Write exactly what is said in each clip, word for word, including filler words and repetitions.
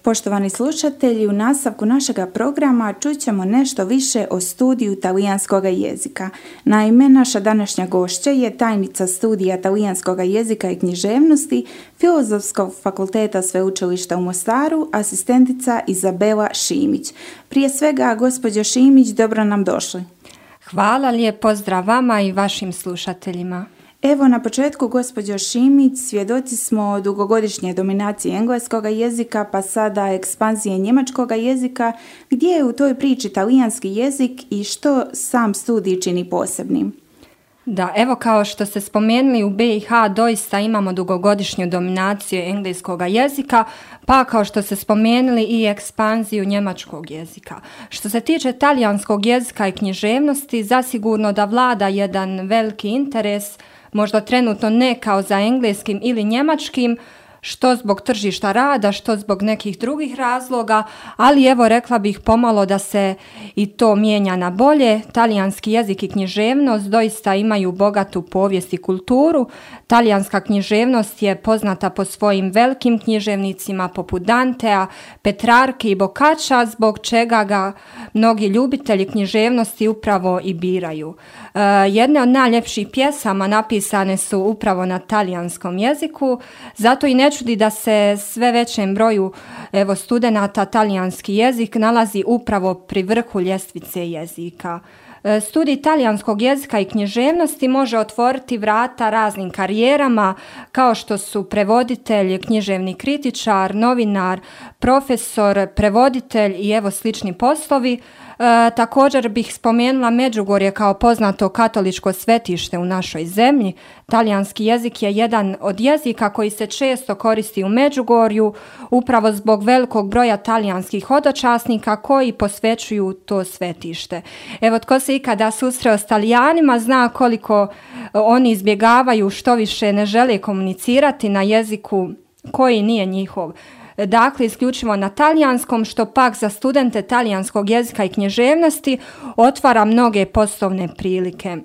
Poštovani slušatelji, u nastavku našega programa čućemo nešto više o studiju talijanskog jezika. Naime, naša današnja gošća je tajnica studija talijanskog jezika i književnosti Filozofskog fakulteta Sveučilišta u Mostaru, asistentica Izabela Šimić. Prije svega, gospođo Šimić, dobro nam došli. Hvala, lijep pozdrav vama i vašim slušateljima. Evo, na početku, gospođo Šimić, svjedoci smo dugogodišnje dominacije engleskog jezika, pa sada ekspanzije njemačkog jezika. Gdje je u toj priči talijanski jezik i što sam studij čini posebnim? Da, evo kao što ste spomenuli, u B i H doista imamo dugogodišnju dominaciju engleskog jezika, pa kao što ste spomenuli i ekspanziju njemačkog jezika. Što se tiče talijanskog jezika i književnosti, zasigurno da vlada jedan veliki interes, možda trenutno ne kao za engleskim ili njemačkim, što zbog tržišta rada, što zbog nekih drugih razloga, ali evo rekla bih pomalo da se i to mijenja na bolje. Talijanski jezik i književnost doista imaju bogatu povijest i kulturu. Talijanska književnost je poznata po svojim velikim književnicima poput Dantea, Petrarke i Boccaccia, zbog čega ga mnogi ljubitelji književnosti upravo i biraju. E, jedne od najljepših pjesama napisane su upravo na talijanskom jeziku, zato i ne čudi da se sve većem broju evo, studenata talijanski jezik nalazi upravo pri vrhu ljestvice jezika. Studij talijanskog jezika i književnosti može otvoriti vrata raznim karijerama kao što su prevoditelj, književni kritičar, novinar, profesor, prevoditelj i evo slični poslovi. E, također bih spomenula Međugorje kao poznato katoličko svetište u našoj zemlji. Talijanski jezik je jedan od jezika koji se često koristi u Međugorju upravo zbog velikog broja talijanskih hodočasnika koji posvećuju to svetište. Evo, tko se ikada susreo s Talijanima zna koliko oni izbjegavaju, što više ne žele komunicirati na jeziku koji nije njihov. Dakle, isključivo na talijanskom, što pak za studente talijanskog jezika i književnosti otvara mnoge poslovne prilike.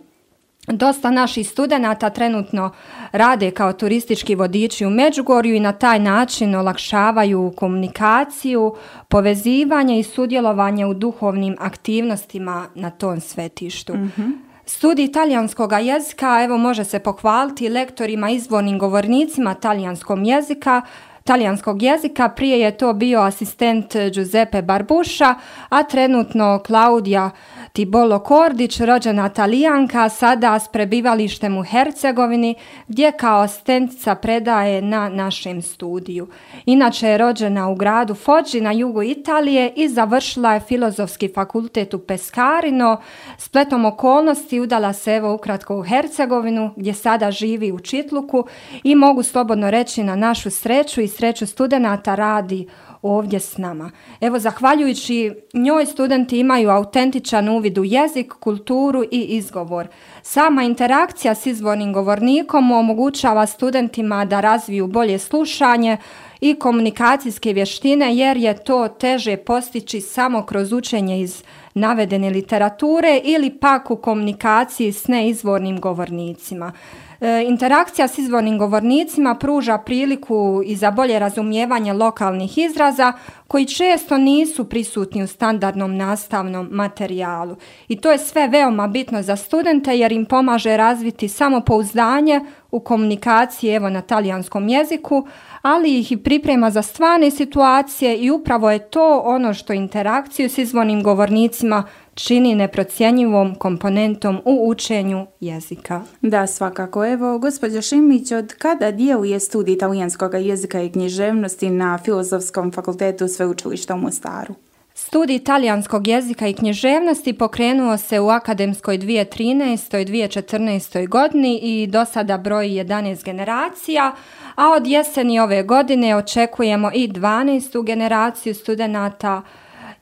Dosta naših studenata trenutno rade kao turistički vodiči u Međugorju i na taj način olakšavaju komunikaciju, povezivanje i sudjelovanje u duhovnim aktivnostima na tom svetištu. Mm-hmm. Studij talijanskog jezika evo može se pohvaliti lektorima, izvornim govornicima talijanskog jezika, talijanskog jezika. Prije je to bio asistent Giuseppe Barbuša, a trenutno Klaudija Tibolo Kordić, rođena Talijanka, sada s prebivalištem u Hercegovini, gdje kao asistentica predaje na našem studiju. Inače je rođena u gradu Foggi na jugu Italije i završila je Filozofski fakultet u Pescarino. Spletom okolnosti udala se evo ukratko u Hercegovinu, gdje sada živi u Čitluku i mogu slobodno reći na našu sreću i sreću studenata radi ovdje s nama. Evo, zahvaljujući njoj studenti imaju autentičan uvid u jezik, kulturu i izgovor. Sama interakcija s izvornim govornikom omogućava studentima da razviju bolje slušanje i komunikacijske vještine, jer je to teže postići samo kroz učenje iz navedene literature ili pak u komunikaciji s neizvornim govornicima. E, interakcija s izvornim govornicima pruža priliku i za bolje razumijevanje lokalnih izraza koji često nisu prisutni u standardnom nastavnom materijalu. I to je sve veoma bitno za studente jer im pomaže razviti samopouzdanje u komunikaciji evo na talijanskom jeziku, ali ih i priprema za stvarne situacije i upravo je to ono što interakciju s izvornim govornicima čini neprocjenjivom komponentom u učenju jezika. Da, svakako. Evo, gospođo Šimić, od kada djeluje studij talijanskog jezika i književnosti na Filozofskom fakultetu Sveučilišta u Mostaru? Studij talijanskog jezika i književnosti pokrenuo se u akademskoj dvije tisuće trinaestoj dvije tisuće četrnaestoj godini i do sada broji jedanaest generacija, a od jeseni ove godine očekujemo i dvanaestu generaciju studenata.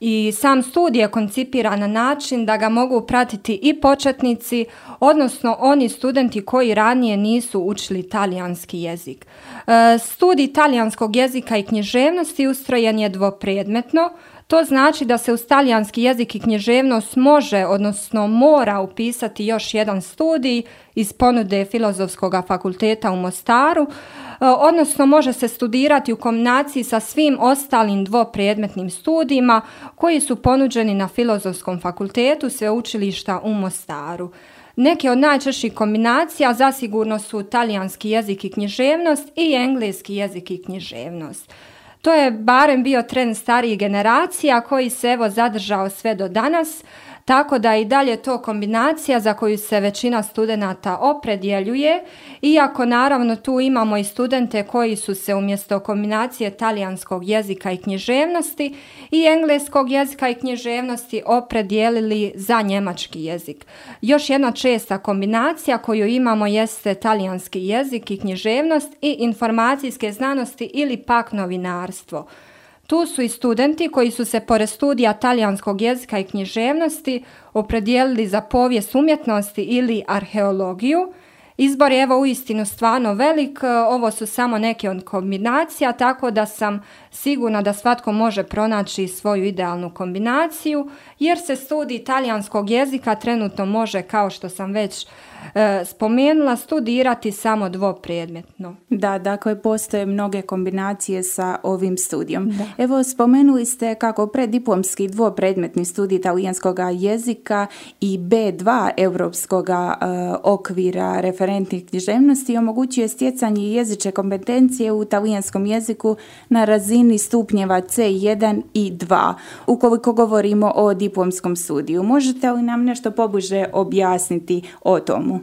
I sam studij je koncipiran na način da ga mogu pratiti i početnici, odnosno oni studenti koji ranije nisu učili talijanski jezik. E, studij talijanskog jezika i književnosti ustrojen je dvopredmetno, To znači da se uz talijanski jezik i književnost može, odnosno mora upisati još jedan studij iz ponude Filozofskog fakulteta u Mostaru, odnosno može se studirati u kombinaciji sa svim ostalim dvopredmetnim studijima koji su ponuđeni na Filozofskom fakultetu Sveučilišta u Mostaru. Neke od najčešćih kombinacija zasigurno su talijanski jezik i književnost i engleski jezik i književnost. To je barem bio trend starijih generacija koji se evo zadržao sve do danas, tako da i dalje to kombinacija za koju se većina studenata opredjeljuje, iako naravno tu imamo i studente koji su se umjesto kombinacije talijanskog jezika i književnosti i engleskog jezika i književnosti opredijelili za njemački jezik. Još jedna česta kombinacija koju imamo jeste talijanski jezik i književnost i informacijske znanosti ili pak novinarstvo. Tu su i studenti koji su se pored studija talijanskog jezika i književnosti opredijelili za povijest umjetnosti ili arheologiju. Izbor je evo uistinu stvarno velik, ovo su samo neke od kombinacija, tako da sam sigurna da svatko može pronaći svoju idealnu kombinaciju, jer se studij talijanskog jezika trenutno može, kao što sam već e, spomenula, studirati samo dvopredmetno. Da, dakle, postoje mnoge kombinacije sa ovim studijom. Da. Evo, spomenuli ste kako preddiplomski dvopredmetni studij talijanskog jezika i be dva europskog e, okvira referentnih književnosti omogućuje stjecanje jezične kompetencije u talijanskom jeziku na razini stupnjeva ce jedan i dva, ukoliko govorimo o diplomskom studiju. Možete li nam nešto pobliže objasniti o tomu?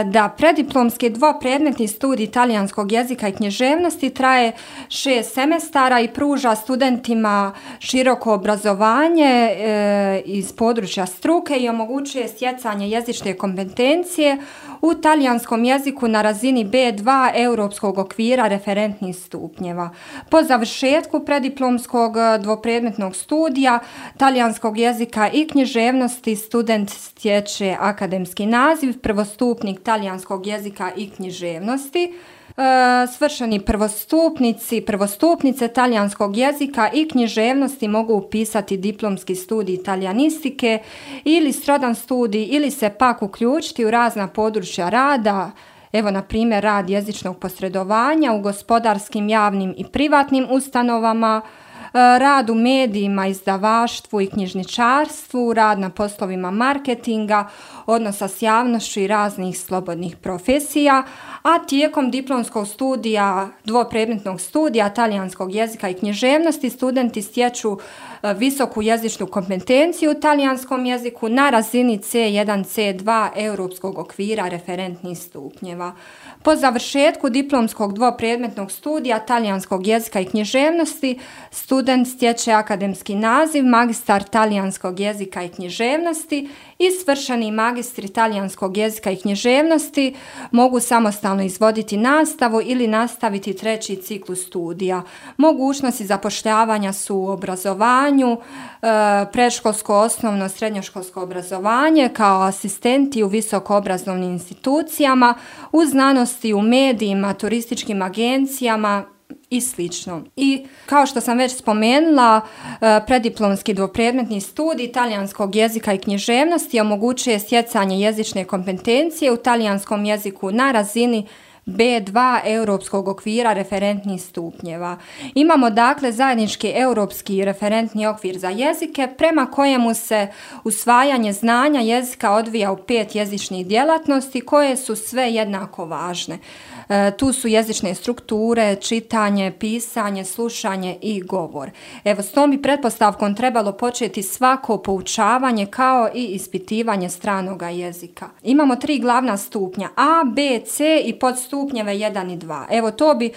Da, preddiplomski dvopredmetni studij talijanskog jezika i književnosti traje šest semestara i pruža studentima široko obrazovanje e, iz područja struke i omogućuje stjecanje jezične kompetencije u talijanskom jeziku na razini be dva europskog okvira referentnih stupnjeva. Po završetku preddiplomskog dvopredmetnog studija talijanskog jezika i književnosti student stječe akademski naziv prvostupnik talijanskog jezika i književnosti. E, svršeni prvostupnici, prvostupnice talijanskog jezika i književnosti mogu upisati diplomski studij talijanistike ili srodan studij ili se pak uključiti u razna područja rada, evo na primjer rad jezičnog posredovanja u gospodarskim, javnim i privatnim ustanovama, rad u medijima, izdavaštvu i knjižničarstvu, rad na poslovima marketinga, odnosa s javnošću i raznih slobodnih profesija, a tijekom diplomskog studija, dvopredmetnog studija talijanskog jezika i književnosti studenti stječu visoku jezičnu kompetenciju u talijanskom jeziku na razini ce jedan ce dva europskog okvira referentnih stupnjeva. Po završetku diplomskog dvopredmetnog studija talijanskog jezika i književnosti student stječe akademski naziv magistar talijanskog jezika i književnosti i svršeni magistri talijanskog jezika i književnosti mogu samostalno izvoditi nastavu ili nastaviti treći ciklus studija. Mogućnosti zapošljavanja su u obrazovanju, predškolsko, osnovno, srednjoškolsko obrazovanje kao asistenti u visokoobrazovnim institucijama, u znanosti, u medijima, turističkim agencijama i slično. I kao što sam već spomenula, preddiplomski dvopredmetni studij talijanskog jezika i književnosti omogućuje stjecanje jezične kompetencije u talijanskom jeziku na razini be dva europskog okvira referentnih stupnjeva. Imamo dakle zajednički europski referentni okvir za jezike prema kojemu se usvajanje znanja jezika odvija u pet jezičnih djelatnosti koje su sve jednako važne. E, tu su jezične strukture, čitanje, pisanje, slušanje i govor. Evo, s tom bi pretpostavkom trebalo početi svako poučavanje kao i ispitivanje stranoga jezika. Imamo tri glavna stupnja A, B, C i podstupnjeve jedan i dva. Evo, to bi e,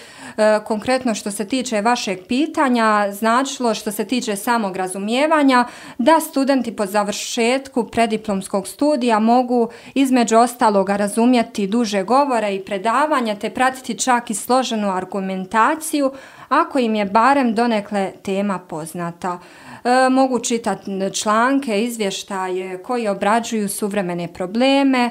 konkretno što se tiče vašeg pitanja značilo što se tiče samog razumijevanja da studenti po završetku preddiplomskog studija mogu između ostaloga razumjeti duže govore i predavanja te pratiti čak i složenu argumentaciju ako im je barem donekle tema poznata. E, mogu čitati članke, izvještaje koji obrađuju suvremene probleme. E,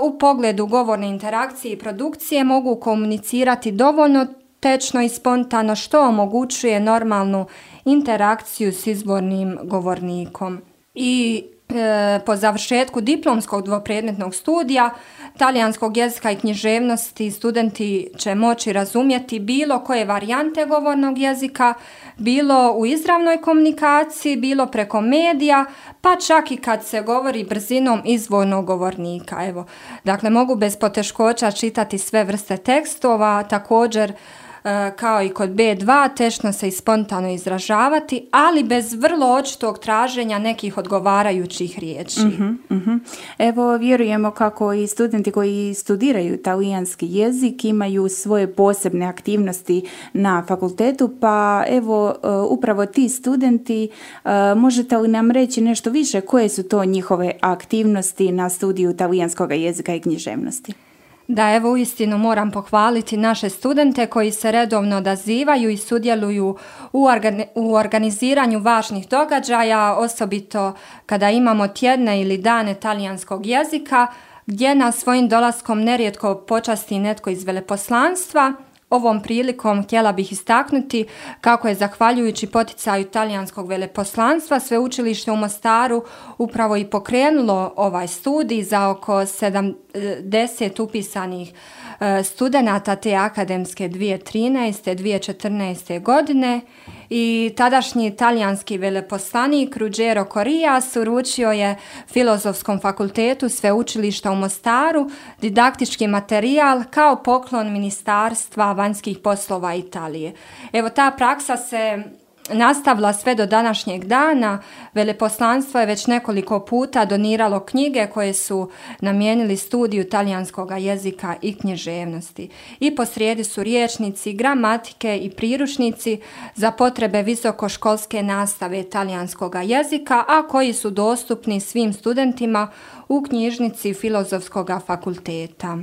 u pogledu govorne interakcije i produkcije mogu komunicirati dovoljno tečno i spontano, što omogućuje normalnu interakciju s izbornim govornikom. I e, po završetku diplomskog dvopredmetnog studija talijanskog jezika i književnosti studenti će moći razumjeti bilo koje varijante govornog jezika, bilo u izravnoj komunikaciji, bilo preko medija, pa čak i kad se govori brzinom izvornog govornika. Evo, dakle, mogu bez poteškoća čitati sve vrste tekstova, također kao i kod be dva, tečno se i spontano izražavati, ali bez vrlo očitog traženja nekih odgovarajućih riječi. Uh-huh, uh-huh. Evo, vjerujemo kako i studenti koji studiraju talijanski jezik imaju svoje posebne aktivnosti na fakultetu, pa evo, upravo ti studenti, možete li nam reći nešto više koje su to njihove aktivnosti na studiju talijanskog jezika i književnosti? Da, evo, uistinu moram pohvaliti naše studente koji se redovno odazivaju i sudjeluju u, organi- u organiziranju važnih događaja, osobito kada imamo tjedne ili dane talijanskog jezika, gdje nas svojim dolaskom nerijetko počasti netko iz veleposlanstva. Ovom prilikom htjela bih istaknuti kako je zahvaljujući poticaju talijanskog veleposlanstva Sveučilište u Mostaru upravo i pokrenulo ovaj studij za oko sedamdeset upisanih studenata te akademske dvije tisuće trinaeste dvije tisuće četrnaeste. godine i tadašnji talijanski veleposlanik Ruggero Corrias uručio je Filozofskom fakultetu Sveučilišta u Mostaru didaktički materijal kao poklon Ministarstva vanjskih poslova Italije. Evo, ta praksa se nastavila sve do današnjeg dana. Veleposlanstvo je već nekoliko puta doniralo knjige koje su namijenili studiju talijanskog jezika i književnosti. I posrijedi su rječnici, gramatike i priručnici za potrebe visokoškolske nastave talijanskog jezika, a koji su dostupni svim studentima u knjižnici Filozofskog fakulteta.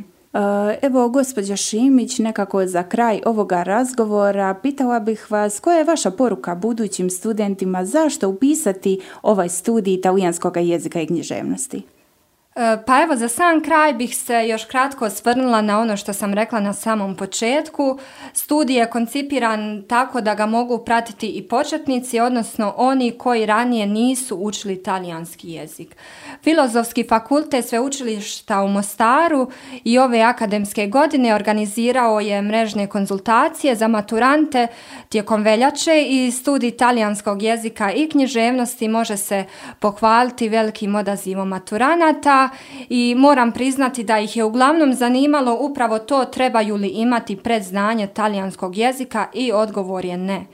Evo, gospođa Šimić, nekako za kraj ovoga razgovora pitala bih vas koja je vaša poruka budućim studentima, zašto upisati ovaj studij talijanskog jezika i književnosti? Pa evo, za sam kraj bih se još kratko osvrnula na ono što sam rekla na samom početku. Studij je koncipiran tako da ga mogu pratiti i početnici, odnosno oni koji ranije nisu učili talijanski jezik. Filozofski fakultet Sveučilišta u Mostaru i ove akademske godine organizirao je mrežne konzultacije za maturante tijekom veljače i studij talijanskog jezika i književnosti može se pohvaliti velikim odazivom maturanata. I moram priznati da ih je uglavnom zanimalo upravo to, trebaju li imati predznanje talijanskog jezika, i odgovor je ne.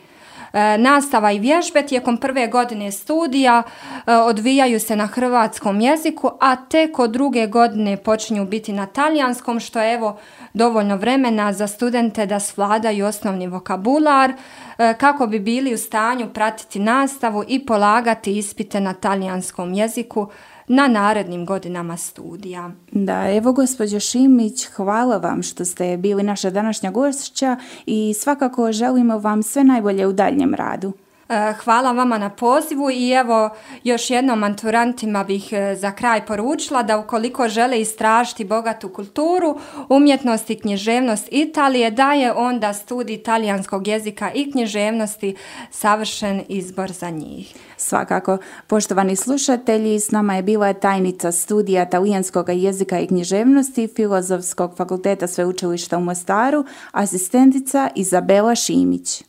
E, nastava i vježbe tijekom prve godine studija e, odvijaju se na hrvatskom jeziku, a tek od druge godine počinju biti na talijanskom, što je evo dovoljno vremena za studente da svladaju osnovni vokabular e, kako bi bili u stanju pratiti nastavu i polagati ispite na talijanskom jeziku na narednim godinama studija. Da, evo gospođo Šimić, hvala vam što ste bili naša današnja gošća i svakako želimo vam sve najbolje u daljnjem radu. Hvala vama na pozivu i evo još jednom maturantima bih za kraj poručila da ukoliko žele istražiti bogatu kulturu, umjetnost i književnost Italije, da je onda studij talijanskog jezika i književnosti savršen izbor za njih. Svakako. Poštovani slušatelji, s nama je bila tajnica studija talijanskog jezika i književnosti Filozofskog fakulteta Sveučilišta u Mostaru, asistentica Izabela Šimić.